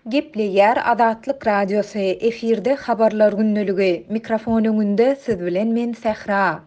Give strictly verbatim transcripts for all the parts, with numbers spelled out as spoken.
Gepleýär Azatlyk Radiosy, efirde Habarlar gündeligi, mikrofon öňünde siz bilen men Sähra.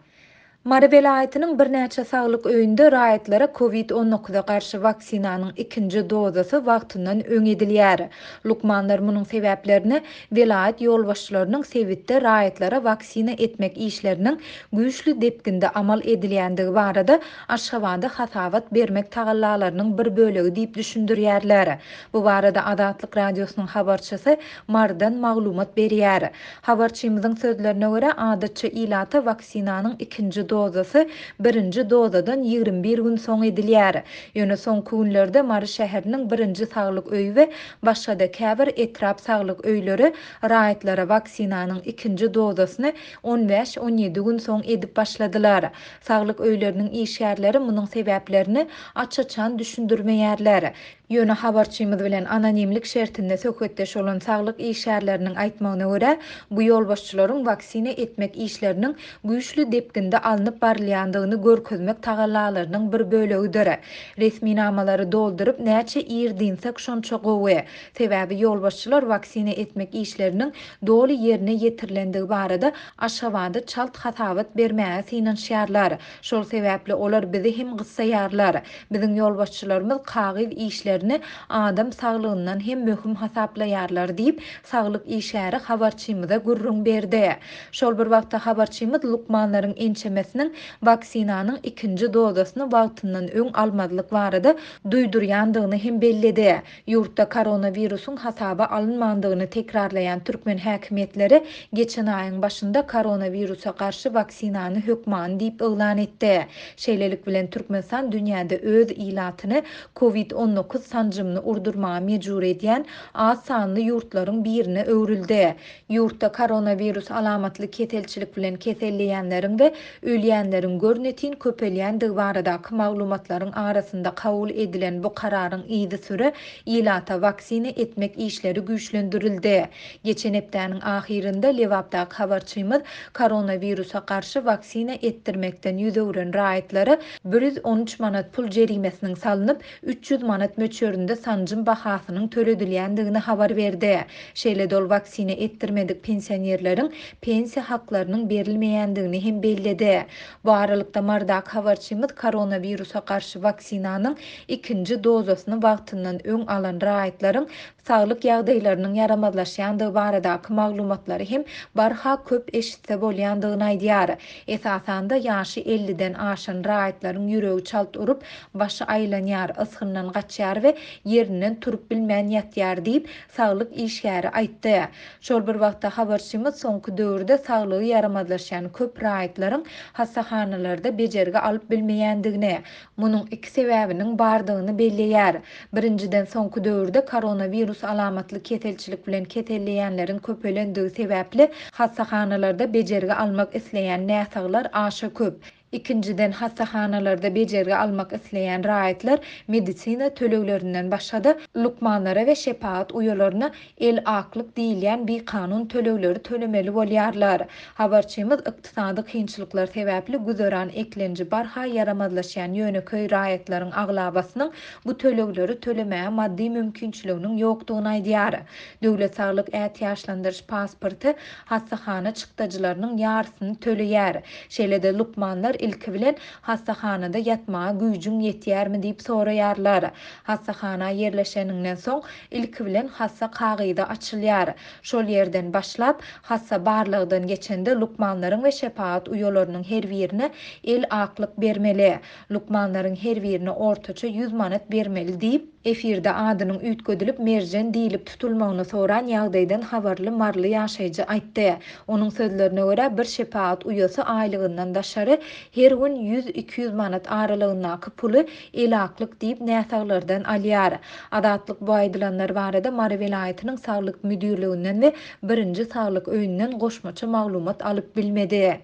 Mary welaýatynyň birnäçe saglyk öýünde raýatlara Covid on dokuza garşy waksinanyň ikinji dozasy wagtyndan öň edilýär. Lukmanlar munuň sebäplerini welaýat ýolbaşçylarynyň sebitde raýatlara waksina etmek işleriniň güýçli depginde amal edilýändigi barada Aşgabada hasabat bermek tagallalarynyň bir bölegi diýip düşündirýärler. Bu barada Azatlyk Radiosynyň habarçysy Marydan maglumat berýär. Habarçymyzyň sözlerine görä, adatça ilata waksinanyň ikinji dozasy birinji dozadan ýigrimi bir gün soň edilýär. Ýöne soňky günlerde Mary şäheriniň birinji saglyk öýi we başga-da käbir etrap saglyk öýleri raýatlara waksinanyň ikinji dozasyny on bäş on ýedi gün soň edip başladylar. Saglyk öýleriniň işgärleri munuň sebäplerini aç-açan düşündirmeýärler. Ýöne habarçymyz bilen anonimlik şertinde söhbetdeş bolan saglyk işgärleriniň aýtmagyna görä, bu ýolbaşçylaryň waksina etmek işleriniň güýçli depginde alnyp barylýandygyny görkezmek tagallalarynyň bir bölegidir. Resminamalary dolduryp näçe ir dinsek şonça gowy. Sebäbi ýolbaşçylar waksina etmek işleriniň doly ýerine ýetirilendigi barada Aşgabada çalt hasabat bermäge synanyşýarlar. Şol sebäpli olar bizi hem gyssaýarlar. Biziň ýolbaşçylarymyz kagyz işlerini adam saglygyndan hem möhüm hasaplaýarlar diýip, saglyk işgäri habarçymyza gürrüň berdi. Şol bir wagtda habarçymyz lukmanlaryň ençemesiniň waksinanyň ikinji dozasyny wagtyndan öň almazlyk barada duýdurýandygyny hem belledi. Ýurtda koronawirusyň hasaba alynmandygyny tekrarlaýan türkmen häkimiýetleri geçen aýyň başynda koronawirusa garşy waksinany hökmany diýip yglan etdi. Şeýlelik bilen Türkmenistan dünýäde öz ilatyny Covid on dokuz sanjymyny urdurmaga mejbur edýän az sanly ýurtlaryň birine öwrüldi. Ýurtda koronawirus alamatly keselçilik bilen keselleýänleriň we ölýänleriň görnetin köpelýändigi baradaky maglumatlaryň arasynda kabul edilen bu kararyň yzysüre ilata waksina etmek işleri güýçlendirildi. Geçen hepdäniň ahyrynda Lebapdaky habarçymyz koronawirusa garşy waksina etdirmekden ýüz öwren raýatlara bir ýüz on üç manat pul jerimesiniň salnyp, üç ýüz manat möçberinde sanjym bahasynyň töledilýändigini habar berdi. Şeýle dol waksina etdirmedik pensionerleriň pensiýa haklarynyň berilmeýändigini hem belledi. Bu aralykda Marydaky habarçymyz koronawirusa garşy waksinanyň ikinji dozasyny wagtyndan öň alan raýatlaryň saglyk ýagdaýlarynyň ýaramazlaşýandygy baradaky maglumatlary hem barha köp eşitse bolýandygyny aýdýar. Esasanda ýaşy elliden aşan raýatlaryň ýüregi çalt urup, başy aýlanýar, ysgyndan gaçýar we ýerinden turup bilmän ýatýar diýip, saglyk işgäri aýtdy. Şol bir wagtda habarçymyz soňky döwürde saglygy ýaramazlaşýan köp raýatlaryň hassahanalarda bejergi alyp bilmeýändigini, munuň iki sebäbiniň bardygyny belleýär. Birinjiden soňky döwürde koronawirus alamatly keselçilik bilen keselleýänleriň köpelendigi sebäpli hassahanalarda bejergi almak isleýän näsaglar aşa köp. Ikinjiden hassahanalarda bejergi almak isleýän raýatlar medisina töleglerinden başga-da lukmanlara we şepagat uýalaryna el aklyk diýilýän bikanun tölegleri tölemeli bolýarlar. Habarçymyz ykdysady kynçylyklar sebäpli güzeran eklenji barha ýaramazlaşýan ýöneköý raýatlaryň aglabasynyň bu tölegleri tölemäge maddy mümkinçiliginiň ýokdugyny aýdýar. Döwlet saglyk ätiýaçlandyryş pasporty hassahana çykdajylarynyň ýarysyny töleýär. Şeýle-de lukmanlar ilki bilen hassahanada ýatmaga güýjüň ýetýärmi diýip soraýarlar. Hassahana ýerleşeninden soň ilki bilen hassa kagyzy açylýar. Şol ýerden başlap hassa barlagdan geçende lukmanlaryň we şepagat uýalarynyň her birine el aklyk bermeli. Lukmanlaryň her birine ortaça ýüz manat bermeli diýip, efirde adynyň üýtgedilip Merjen diýilip tutulmagyny soran ýagdaýdan habarly Maryly ýaşaýjy aýtdy. Onuň sözlerine görä bir şepagat uýasy aýlygyndan daşary her gün ýüz iki ýüz manat aralygyndaky puly el aklyk diýip näsaglardan alýar. Azatlyk bu aýdylanlar barada Mary welaýatynyň saglyk müdirliginden we birinji saglyk öýünden goşmaça maglumat alyp bilmedi.